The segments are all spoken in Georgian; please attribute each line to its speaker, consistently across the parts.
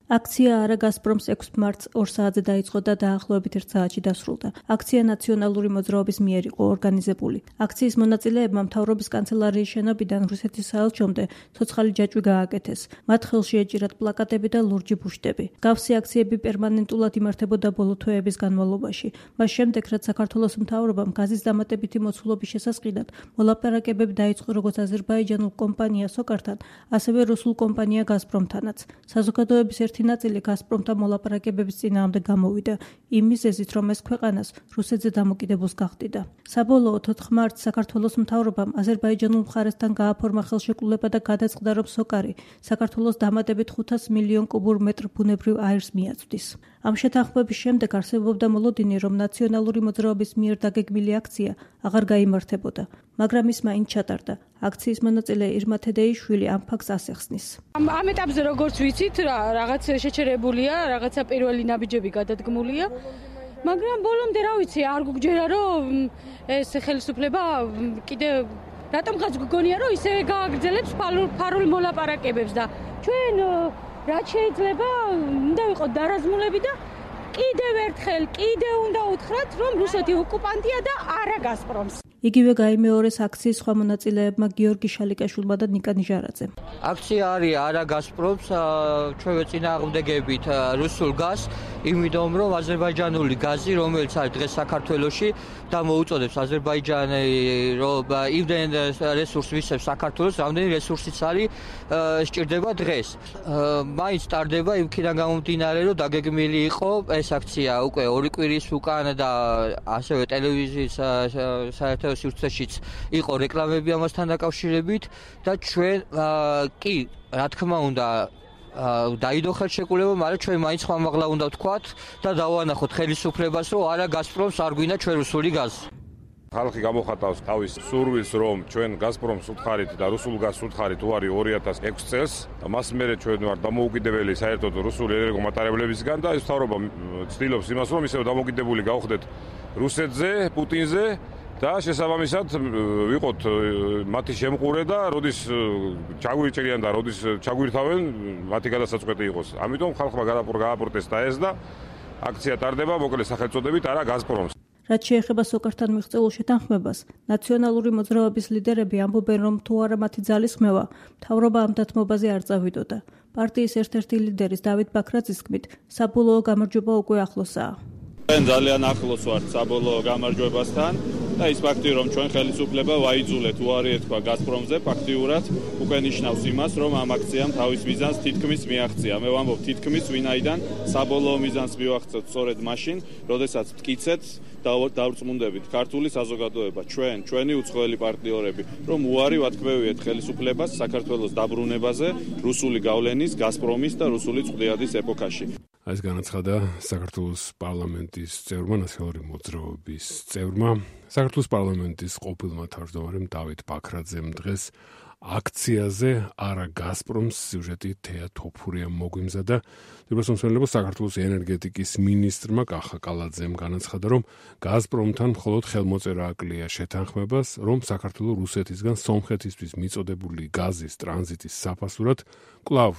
Speaker 1: აქცია არა გაზპრომს 6 მარტს 2 საათზე დაიწყო და დაახლოებით 1 საათში დასრულდა. აქცია ნაციონალური მოძრაობის მიერ იყო ორგანიზებული. აქციის მონაწილეებმა მთავრობის კანცელარიის შენობიდან რუსეთის საელჩომდე ცოცხალი ჯაჭვი გააკეთეს. მათ ხელში ეჭირათ პლაკატები და ლურჯი ბუშტები. გავსი აქციები პერმანენტულად იმართებოდა ბოლო თვეების განმავლობაში. მას შემდეგ, რაც საქართველოს მთავრობამ გაზის დამატებითი მოცულობის შესასყიდად მოლაპარაკებები დაიწყო როგორც აზერბაიჯანულ კომპანია სოკართან, ასევე რუსულ კომპანია გაზპრომთანაც. საზოგადოების ერთი ნაწილი გაზპრომთან მოლაპარაკებების წინააღმდეგ გამოვიდა, იმ მიზეზით, რომ ეს ქვეყანას რუსეთზე დამოკიდებულს გახდიდა. საბოლოოდ 4 მარტს საქართველოს მთავრობამ აზერბაიჯანულ მხარესთან გააფორმა ხელშეკრულება და გადაწყდა, რომ სოკარი საქართველოს დამატებით 500 მილიონ კუბურ მეტრ ბუნებრივ აირს მიაწვდის. ამ შეთანხმების შემდეგ არსებობდა მოლოდინი, რომ ნაციონალური მოძრაობის მიერ დაგეგმილი აქცია აღარ გაიმართებოდა, მაგრამ ის მაინც ჩატარდა. აქციის მონაწილე ირმა თედეიშვილი ამ ფაქტს ასახსნის.
Speaker 2: ამ ეტაპზე როგორც ვიცით, რაღაც შეჩერებულია, რაღაცა პირველი ნაბიჯები გადადგმულია, მაგრამ ბოლომდე რა ვიცი, არ გუგჯერა, რომ ეს ხელისუფლება კიდე რატომღაც გგონია, რომ ისე გააგრძელებს ფარულ მოლაპარაკებებს და ჩვენ რაც შეიძლება უნდა ვიყოთ დარაზმულები და კიდევ ერთხელ უნდა უთხრათ, რომ რუსეთი ოკუპანტია და არა გაზპრომს.
Speaker 1: იგივე გაიმეორეს აქციის სხვა მონაწილეებმა გიორგი შალიკაშვილმა და ნიკა ნიჟარაძემ.
Speaker 3: აქცია არის არა გაზპრომს, ჩვენ ვეწინააღმდეგებით რუსულ გაზს, იმიტომ რომ აზერბაიჯანული გაზი, რომელიც არის დღეს საქართველოში და მოუწოდებს აზერბაიჯანი, რომ იმდენ რესურსს ვისებს საქართველოს, რამდენი რესურსიც არის სჭირდება დღეს. მაინც ტარდება იმქიდან გამომდინარე, რომ დაგეგმილი იყო ეს აქცია უკვე 2 კვირის უკან და ასევე ტელევიზიის საერთო სივრცეშიც იყო რეკლამები ამასთან დაკავშირებით და ჩვენ კი რა თქმა უნდა დაიდო ხელშეკრულება, მაგრამ ჩვენ მაინც ხმამაღლა უნდა ვთქვათ და დავანახოთ ხელისუფლებას, რომ არა გაზპრომს არ გვინდა ჩვენ რუსული გაზი.
Speaker 4: ხალხი გამოხატავს თავის სურვილს, რომ ჩვენ გაზპრომს უთხარით და რუსულ გაზს უთხარით უარი 2006 წელს. მას მერე ჩვენ ვართ დამოუკიდებელი საერთოდ რუსული ენერგომატარებლებისგან და ეს მთავრობა ცდილობს იმას, რომ ისევ დამოუკიდებელი გავხდეთ რუსეთზე, პუტინზე და შესაბამისად ვიყოთ მათი შემყურე და როდის ჩაგვიჭერიან და როდის ჩაგვირთავენ, მათი გადასაწყვეტი იყოს. ამიტომ ხალხმა გააპროტესტა ეს და აქცია ტარდება მოკლედ სახელწოდებით არა გაზპრომს.
Speaker 1: რაც შეეხება სოკართან მიღწეულ შეთანხმებას, ნაციონალური მოძრაობის ლიდერები ამბობენ, რომ თუ არა მათი ძალისხმევა, მთავრობა ამ დათმობაზე არ წავიდოდა. პარტიის ერთ-ერთი ლიდერის დავით ბაქრაძის თქმით, საბოლოო გამარჯვება უკვე ახლოსაა.
Speaker 5: ჩვენ ძალიან ახლოს ვართ საბოლოო გამარჯვებასთან და ის ფაქტი, რომ ჩვენ ხელისუფლება ვაიძულეთ უარი ეთქვა გაზპრომზე, ფაქტიურად უკვე ნიშნავს იმას, რომ ამ აქციამ თავის მიზანს თითქმის მიაღწია. მე ვამბობ თითქმის, ვინაიდან საბოლოო მიზანს მივაღწევთ სწორედ მაშინ, როდესაც მტკიცეთ დავრწმუნდებით ქართული საზოგადოება, ჩვენი უცხოელი პარტნიორები, რომ უარი ვათქმევიეთ ხელისუფლებას საქართველოს დაბრუნებაზე რუსული გავლენის, გაზპრომის და რუსული წვდიადის ეპოქაში.
Speaker 6: ეს განაცხადა საქართველოს პარლამენტის წევრმა, ნაციონალური მოძრაობის წევრმა, საქართველოს პარლამენტის ყოფილმა თავმჯდომარემ დავით ბაქრაძემ დღეს აქციაზე არა გაზპრომს სიუჟეტი თეა თოფურიამ მოგვიმზადა. დეპრესონსმენელებო საქართველოს ენერგეტიკის მინისტრმა კახა კალაძემ განაცხადა, რომ გაზპრომთან მხოლოდ ხელმოწერა აკლია შეთანხმებას, რომ საქართველოს რუსეთისგან სომხეთისთვის მიწოდებული გაზის ტრანზიტის საფასურად კვლავ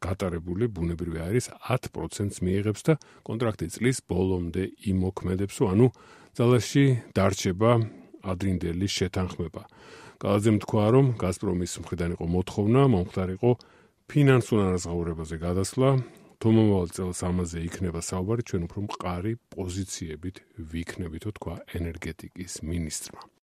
Speaker 6: გატარებული ბუნებრივი აირის 10%-ს მიიღებს და კონტრაქტი წლის ბოლომდე იმოქმედებს, ანუ ძალაში დარჩება ადრინდელი შეთანხმება. კალაძემ თქვა, რომ გაზპრომის მხრიდან იყო მოთხოვნა, მომხდარიყო ფინანსურ ანაზღაურებაზე გადასვლა, თუ მომავალ წელს ამაზე იქნება საუბარი, ჩვენ უფრო მყარი პოზიციებით ვიქნებითო, თქვა ენერგეტიკის მინისტრმა.